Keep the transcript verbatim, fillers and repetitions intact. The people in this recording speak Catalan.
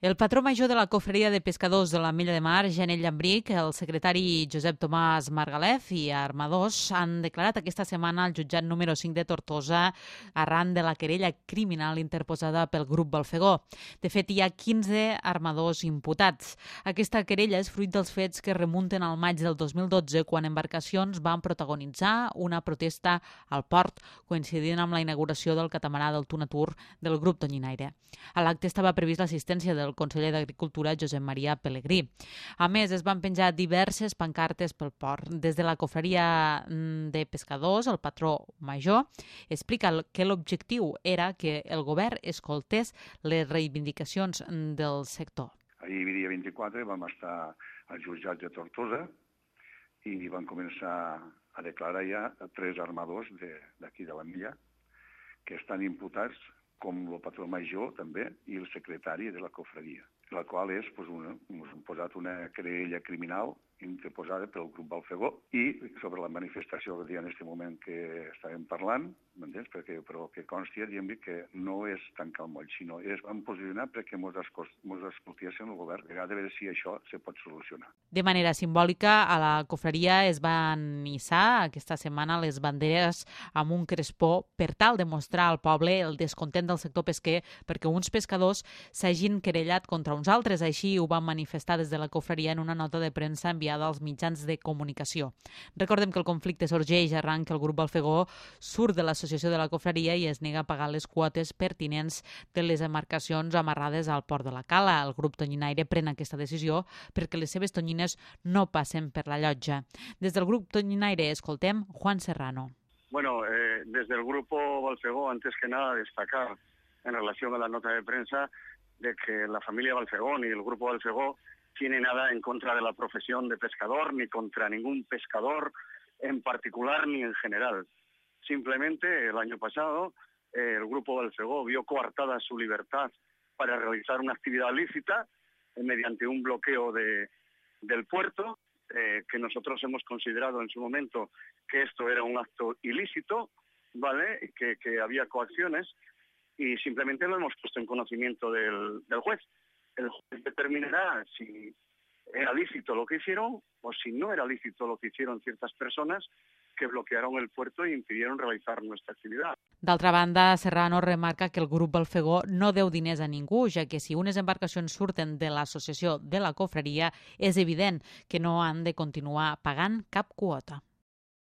El patró major de la Cofreria de Pescadors de l'Ametlla de Mar, Janel Llambric, el secretari Josep Tomàs Margalef i armadors han declarat aquesta setmana al jutjat número cinc de Tortosa arran de la querella criminal interposada pel grup Balfegó. De fet, hi ha quinze armadors imputats. Aquesta querella és fruit dels fets que remunten al maig del dos mil dotze, quan embarcacions van protagonitzar una protesta al port, coincidint amb la inauguració del catamarà del Tunatur del grup Tonyinaire. A l'acte estava previst l'assistència del conseller d'Agricultura, Josep Maria Pelegrí. A més, es van penjar diverses pancartes pel port. Des de la Cofreria de Pescadors, el patró major explica que l'objectiu era que el govern escoltés les reivindicacions del sector. Ahir, dia vint-i-quatre, vam estar al jutjat de Tortosa i van començar a declarar ja tres armadors d'aquí de l'Ametlla que estan imputats, com el patró major també i el secretari de la cofreria, la qual és, doncs, una, ens han posat una querella criminal interposada pel grup Balfegó i sobre la manifestació que en aquest moment que estàvem parlant, m'entens? Perquè, però que consti, diguem que no és tancar el moll, sinó és vam posicionar perquè ens escoltessin el govern, a veure si això se pot solucionar. De manera simbòlica, a la cofreria es van hissar aquesta setmana les banderes amb un crespó per tal de mostrar al poble el descontent del sector pesquer perquè uns pescadors s'hagin querellat contra uns altres. Així ho van manifestar des de la cofreria en una nota de premsa enviada als mitjans de comunicació. Recordem que el conflicte sorgeix arran que el grup Balfegó surt de l'associació de la cofreria i es nega a pagar les quotes pertinents de les embarcacions amarrades al port de la Cala. El grup Tonyinaire pren aquesta decisió perquè les seves tonyines no passen per la llotja. Des del grup Tonyinaire escoltem Juan Serrano. Bueno, eh, desde el grupo Balfegó, antes que nada, destacar en relación a la nota de prensa de que la familia Balfegó ni el grupo Balfegó tiene nada en contra de la profesión de pescador, ni contra ningún pescador en particular ni en general. Simplemente el año pasado eh, el grupo Balfegó vio coartada su libertad para realizar una actividad lícita eh, mediante un bloqueo de, del puerto, eh, que nosotros hemos considerado en su momento que esto era un acto ilícito, ¿vale? Que, que había coacciones y simplemente lo hemos puesto en conocimiento del, del juez. El juez determinará si era lícito lo que hicieron o si no era lícito lo que hicieron ciertas personas que bloquearon el puerto e impidieron realizar nuestra actividad. D'altra banda, Serrano remarca que el grup Balfegó no deu diners a ningú, ja que si unes embarcacions surten de l'associació de la cofreria, és evident que no han de continuar pagant cap quota.